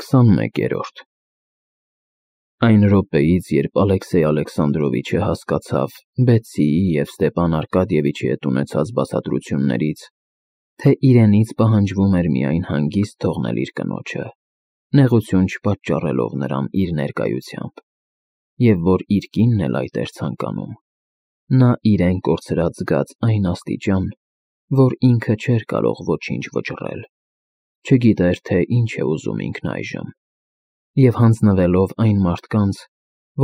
21-րդ Այն րոպեից, երբ Ալեքսեյ Ալեքսանդրովիչը հասկացավ Բեցիի և Ստեպան Արկադիևիչի հետ ունեցած բացատրություններից, թե իրենից պահանջվում էր միայն հանգիստ թողնել իր կնոջը, նեղություն չպատճառելով նրան իր ներկայությամբ, և որ իր կինն էլ այդ էր ցանկանում, նա իրեն կորցրած զգաց այն աստիճան, որ ինքը չէր կարող ոչինչ վճռել, չգիտեր, թե ինչ է ուզում ինքն այժմ, և հանձնվելով այն մարդկանց,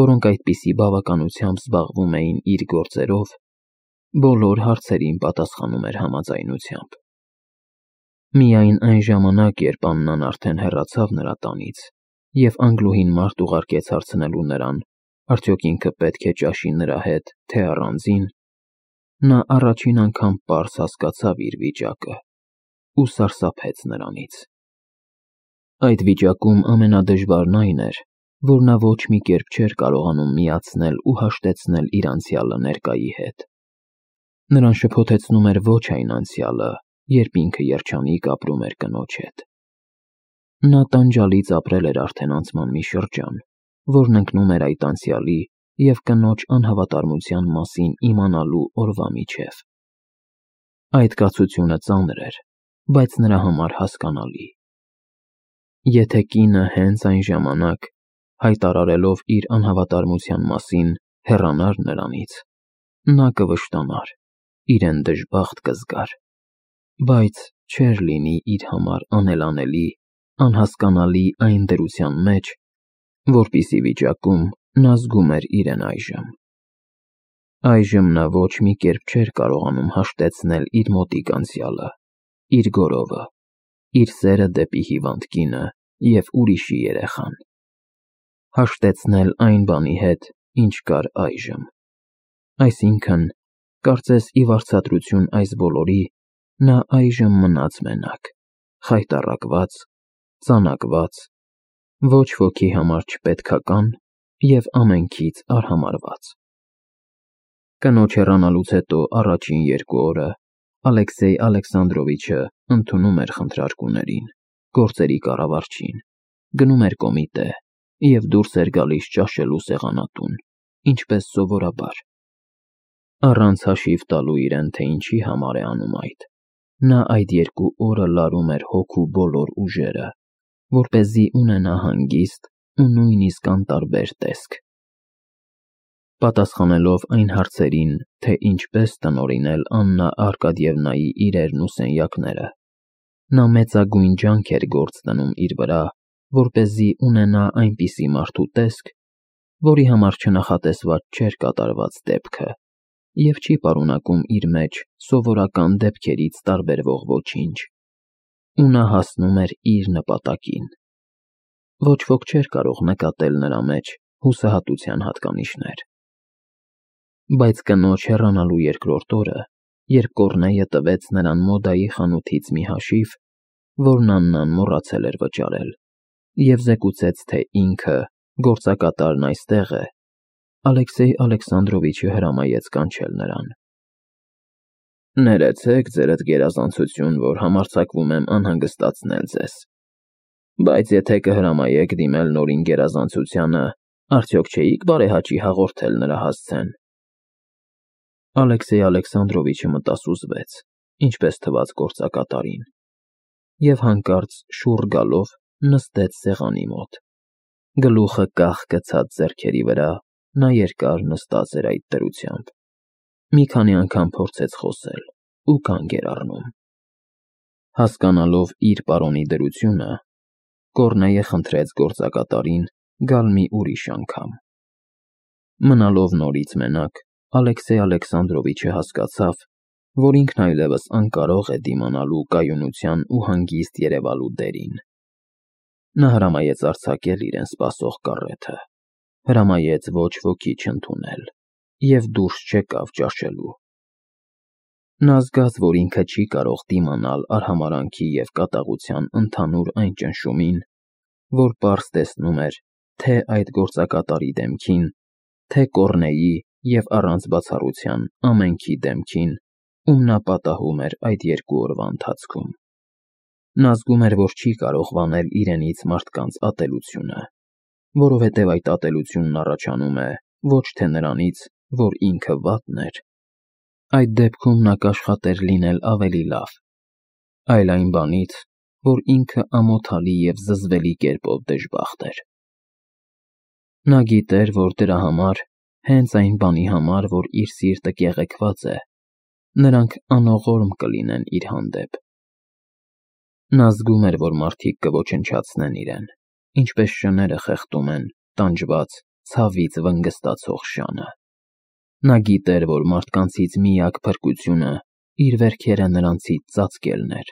որոնք այդպիսի բավականությամբ զբաղվում էին իր գործերով, բոլոր հարցերին պատասխանում էր համաձայնությամբ։ Միայն այն ժամանակ, երբ Աննան արդեն հեռացավ նրա տանից, և անգլուհին մարդ ուղարկեց հարցնելու նրան, արդյոք ինքը պետք է ճաշի նրա հետ, թե առանձին, նա առաջին անգամ պարզ հասկացավ իր վիճակը ու սարսափեց նրանից։ Այդ վիճակում ամենադժվարն այն էր, որ նա ոչ մի կերպ չէր կարողանում միացնել ու հաշտեցնել իր անցյալը ներկայի հետ։ Նրան շփոթեցնում էր ոչ այն անցյալը, երբ ինքը երջանիկ ապրում էր կնոջ հետ։ Նա տանջալից ապրել էր արդեն անցման մի շրջան, որն ընկնում էր այդ անցյալի և կնոջ անհավատարմության մասին իմանալու օրվա միջև։ Այդ կացությունը ծանր էր, բայց նրա համար հասկանալի։ Եթե կինը հենց այն ժամանակ, հայտարարելով իր անհավատարմության մասին, հեռանար նրանից, նա կվշտանար, իրեն դժբախտ կզգար, բայց չէր լինի իր համար անելանելի, անհասկանալի այն դրության մեջ, որպիսի վիճակում նա զգում էր իրեն այժմ։ Այժմ նա ոչ մի կերպ չէր կարողանում հաշտեցնել իր մոտիկ անցյալը, իր գորովը, իր սերը դեպի հիվանդ կինը և ուրիշի երեխան, հաշտեցնել այն բանի հետ, ինչ կար այժմ։ Այսինքն, կարծես ի վարձատրություն այս բոլորի, նա այժմ մնաց մենակ, խայտառակված, ծանակված, ոչ ոքի համար չպետքական և ամենքից արհամարհված։ Կնոջ հեռանալուց հետո առաջին 2 օրը Ալեքսեյ Ալեքսանդրովիչը ընդունում էր խնդրարկուներին, գործերի կառավարչին, գնում էր կոմիտե և դուրս էր գալիս ճաշելու սեղանատուն, ինչպես սովորաբար։ Առանց հաշիվ տալու իրեն, թե ինչի համար է անում այդ, նա այդ 2 օրը լարում էր հոգու բոլոր ուժերը, որպեսզի ունենա հանգիստ ու նույնիսկ անտարբեր տեսք։ Պատասխանելով այն հարցերին, թե ինչպես տնօրինել Աննա Արկադիևնայի իրերն ու սենյակները, նա մեծագույն ջանք էր գործ դնում իր վրա, որպեսզի ունենա այնպիսի մարդու տեսք, որի համար չնախատեսված չէր կատարված դեպքը և չի պարունակում իր մեջ սովորական դեպքերից տարբերվող ոչինչ, ու նա հասնում էր իր նպատակին։ Ոչ ոք չէր կարող նկատել նրա մեջ հուսահատության հատկանիշներ։ Բայց կնոջ հեռանալու 2-րդ օրը, երբ Կոռնեյը տվեց նրան մոդայի խանութից մի հաշիվ, որն Աննան մոռացել էր վճարել, և զեկուցեց, թե ինքը, գործակատարն այստեղ է, Ալեքսեյ Ալեքսանդրովիչը հրամայեց կանչել նրան։ Ներեցեք, ձերդ գերազանցություն, որ համարձակվում եմ անհանգստացնել ձեզ, բայց եթե կհրամայեք դիմել նորին գերազանցությանը, արդյոք չէիք բարեհաճի հաղորդել նրա հասցեն։ Ալեքսեյ Ալեքսանդրովիչը մտասուզվեց, ինչպես թվաց գործակատարին, և հանկարծ շուռ գալով նստեց սեղանի մոտ։ Գլուխը կախ գցած ձեռքերի վրա, նա երկար նստած էր այդ դրությամբ։ Մի քանի անգամ փորձեց խոսել ու կանգ էր առնում։ Հասկանալով իր պարոնի դրությունը, Կոռնեյը խնդրեց գործակատարին գալ մի ուրիշ անգամ։ Մնալով նորից մենակ, Ալեքսեյ Ալեքսանդրովիչը հասկացավ, որ ինքն այլևս անկարող է դիմանալու կայունության ու հանգիստ երևալու դերին։ Նա հրամայեց արձակել իրեն սպասող կառեթը, հրամայեց ոչ ոքի չընդունել և դուրս չեկավ ճաշելու։ Նա զգաց, որ ինքը չի կարող դիմանալ արհամարհանքի և կատաղության ընդհանուր այն ճնշումին, որ պարզ տեսնում էր թե այդ գործակատարի դեմքին, թե Կոռնեյի և առանց բացառության ամենքի դեմքին, ում նա պատահում էր այդ 2 օրվա ընթացքում։ Նա զգում էր, որ չի կարող վանել իրենից մարդկանց ատելությունը, որովհետև այդ ատելությունն առաջանում է ոչ թե նրանից, որ ինքը վատն էր, այդ դեպքում նա կաշխատեր լինել ավելի լավ, այլ այն բանից, որ ինքը ամոթալի և զզվելի կերպով դժբախտ էր։ Նա գիտեր, որ դրա համար, հենց այն բանի համար, որ իր սիրտը կեղեքված է, նրանք անողորմ կլինեն իր հանդեպ։ Նա զգում էր, որ մարդիկ կոչնչացնեն իրեն, ինչպես շները խեղդում են տանջված, ցավից վնգստացող շանը։ Նա գիտեր, որ մարդկանցից միակ փրկությունը իր վերքերը նրանցից ծածկելն էր,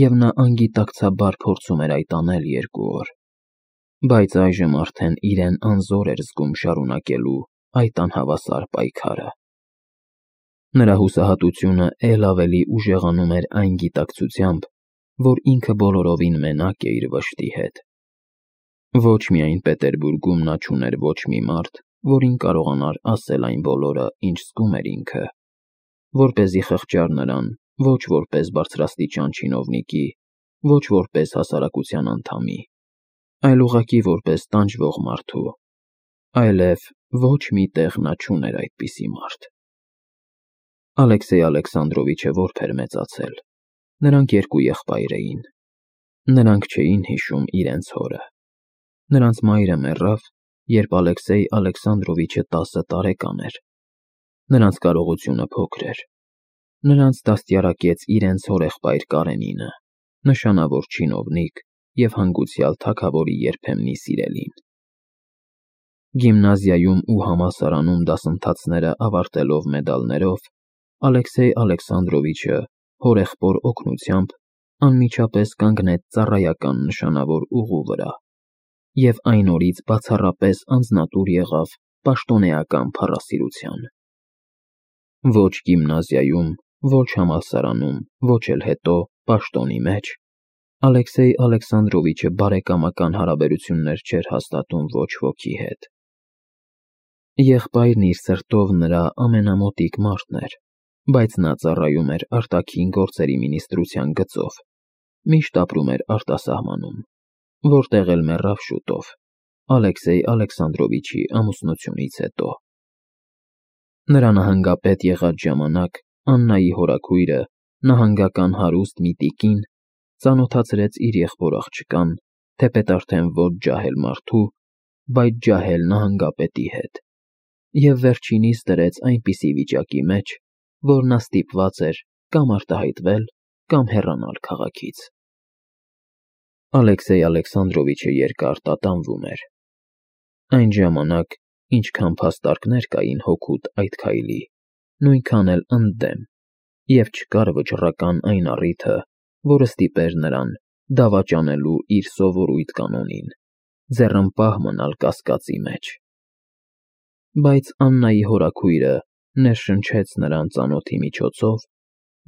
և նա անգիտակցաբար փորձում էր այդ անել 2 օր, բայց այժմ արդեն իրեն անզոր էր զգում շարունակելու այդ անհավասար պայքարը։ Նրա հուսահատությունը էլ ավելի ուժեղանում էր այն գիտակցությամբ, որ ինքը բոլորովին մենակ է իր վշտի հետ։ Ոչ միայն Պետերբուրգում նա չուներ ոչ մի մարդ, որին կարողանար ասել այն բոլորը, ինչ զգում էր ինքը, որպեսզի խղճար նրան ոչ որպես բարձրաստիճան չինովնիկի, ոչ որպես հասարակության անդամի, այլ ուղղակի որպես տանջվող մարդու, այլև ոչ մի տեղ նա չուներ այդպիսի մարդ։ Ալեքսեյ Ալեքսանդրովիչը որբ էր մեծացել։ Նրանք 2 եղբայր էին։ Նրանք չէին հիշում իրենց հորը։ Նրանց մայրը մեռավ, երբ Ալեքսեյ Ալեքսանդրովիչը 10 տարեկան էր։ Նրանց կարողությունը փոքր էր։ Նրանց դաստիարակեց իրենց հորեղբայր Կարենինը, նշանավոր չինովնիկ և հանգուցյալ թագավորի երբեմնի սիրելին։ Գիմնազիայում ու համալսարանում դասընթացները ավարտելով մեդալներով, Ալեքսեյ Ալեքսանդրովիչը հորեղբոր օգնությամբ անմիջապես կանգնեց ծառայական նշանավոր ուղու վրա և այն օրից բացառապես անձնատուր եղավ պաշտոնեական փառասիրության։ Ոչ գիմնազիայում, ոչ համալսարանում, ոչ էլ հետո պաշտոնի մեջ Ալեքսեյ Ալեքսանդրովիչը բարեկամական հարաբերություններ չէր հաստատում ոչ ոքի հետ։ Եղբայրն իր սրտով նրա ամենամոտիկ մարդն էր, բայց նա ծառայում էր արտաքին գործերի մինիստրության գծով, միշտ ապրում էր արտասահմանում, որտեղ էլ մեռավ շուտով, Ալեքսեյ Ալեքսանդրովիչի ամուսնությունից հետո։ Նրա նահանգապետ եղած ժամանակ Աննայի հորաքույրը, նահանգական հարուստ մի տիկին, ծանոթացրեց իր եղբոր աղջկան, թեպետ արդեն ոչ ջահել մարդու, բայց ջահել նահանգապետի հետ, և վերջինիս դրեց այնպիսի վիճակի մեջ, որ նա ստիպված էր կամ արտահայտվել, կամ հեռանալ քաղաքից։ Ալեքսեյ Ալեքսանդրովիչը երկար տատանվում էր։ Այն ժամանակ, ինչքան փաստարկներ կային հօգուտ այդ քայլի, նույնքան էլ ընդդեմ, և չկար վճռական այն առիթը, որը ստիպեր նրան դավաճանելու իր սովորույթ կանոնին, ձեռնպահ մնալ կասկածի մեջ։ Բայց Աննայի հորաքույրը ներշնչեց նրան ծանոթի միջոցով,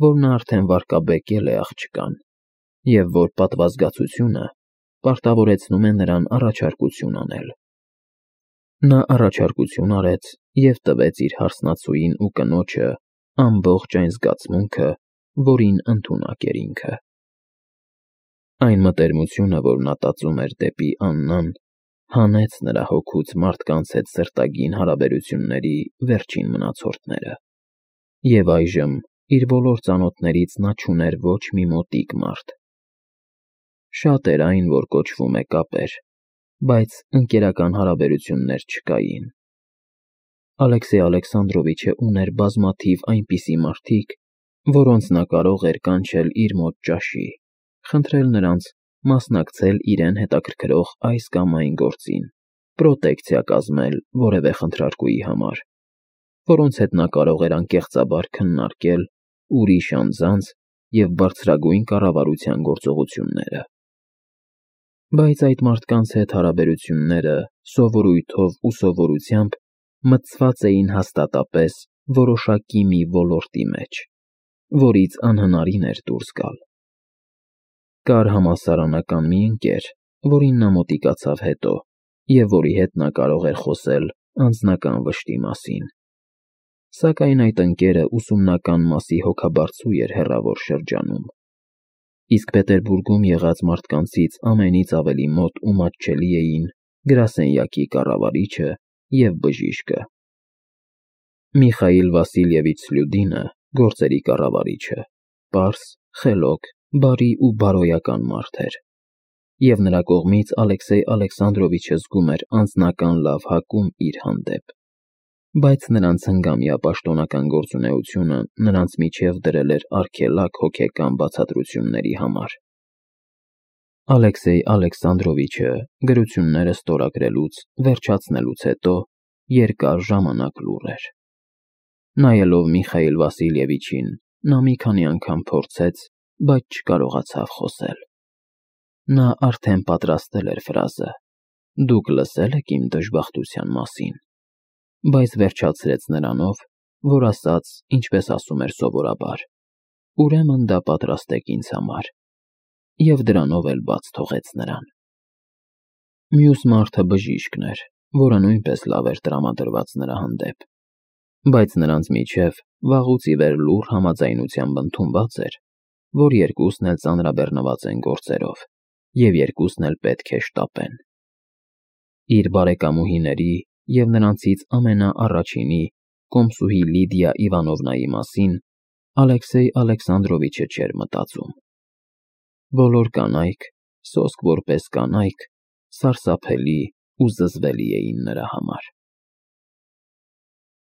որ նա արդեն վարկաբեկել է աղջկան, և որ պատվազգացությունը պարտավորեցնում է նրան առաջարկություն անել։ Նա առաջարկություն արեց և տվեց իր հարսնացուին ու կնոջը ամբողջ այն զգացմունքը, որին ընդունակ էր ինքը։ Այն մտերմությունը, որ նա տածում էր դեպի Աննան, հանեց նրա հոգուց մարդկանց հետ սրտագին հարաբերությունների վերջին մնացորդները, և այժմ իր բոլոր ծանոթներից նա չուներ ոչ մի մոտիկ մարդ։ Շատ էր այն, որ կոչվում է կապեր, բայց ընկերական հարաբերություններ չկային։ Ալեքսեյ Ալեքսանդրովիչը ուներ բազմաթիվ այնպիսի մարդիկ, որոնց նա կարող էր կանչել իր մոտ ճաշի, խնդրել նրանց մասնակցել իրեն հետաքրքրող այս կամ այն գործին, պրոտեկցիա կազմել որևէ խնդրարկուի համար, որոնց հետ նա կարող էր անկեղծաբար քննարկել ուրիշ անձանց և բարձրագույն կառավարության գործողությունները։ Բայց այդ մարդկանց հետ հարաբերությունները սովորույթով ու սովորությամբ մտցված էին հաստատապես որոշակի մի ոլորտի մեջ, որից անհնարին էր դուրս գալ։ Կար համալսարանական մի ընկեր, որին նա մոտիկացավ հետո, և որի հետ նա կարող էր խոսել անձնական վշտի մասին։ Սակայն այդ ընկերը ուսումնական մասի հոգաբարձու էր հեռավոր շրջանում։ Իսկ Պետերբուրգում եղած մարդկանցից ամենից ավելի մոտ ու մատչելի էին գրասենյակի կառավարիչը և բժիշկը։ Միխայիլ Վասիլևիչ Սլյուդինը, գործերի կառավարիչը, պարզ, խելոք, բարի ու բարոյական մարդ էր, և նրա կողմից Ալեքսեյ Ալեքսանդրովիչը զգում էր անձնական լավ հակում իր հանդեպ, բայց նրանց հնգամյա պաշտոնական գործունեությունը նրանց միջև դրել էր արգելակ հոգեկան բացատրությունների համար։ Ալեքսեյ Ալեքսանդրովիչը գրությունները ստորագրելուց, վերջացնելուց հետո երկար ժամանակ լուռ էր։ Նայելով Միխայիլ Վասիլևիչին, նա մի քանի անգամ փորձեց, բայց չկարողացավ խոսել։ Նա արդեն պատրաստել էր ֆրազը. «Դուք լսել եք իմ դժբախտության մասին», բայց վերջացրեց նրանով, որ ասաց, ինչպես ասում էր սովորաբար. «Ուրեմն դա պատրաստեք ինձ համար», և դրանով էլ բաց թողեց նրան։ Մյուս մարդը բժիշկն էր, որը նույնպես լավ էր տրամադրված նրա հանդեպ, բայց նրանց միջև վաղուց ի վեր լուռ համաձայնությամբ ընդունված էր, որ երկուսն էլ ծանրաբեռնված են գործերով, և երկուսն էլ պետք է շտապեն։ Իր բարեկամուհիների և նրանցից ամենաառաջինի կոմսուհի Լիդիա Իվանովնայի մասին Ալեքսեյ Ալեքսանդրովիչը չէր մտածում։ Բոլոր կանայք, սոսկ որպես կանայք, սարսափելի ու զզվելի էին նրա համար։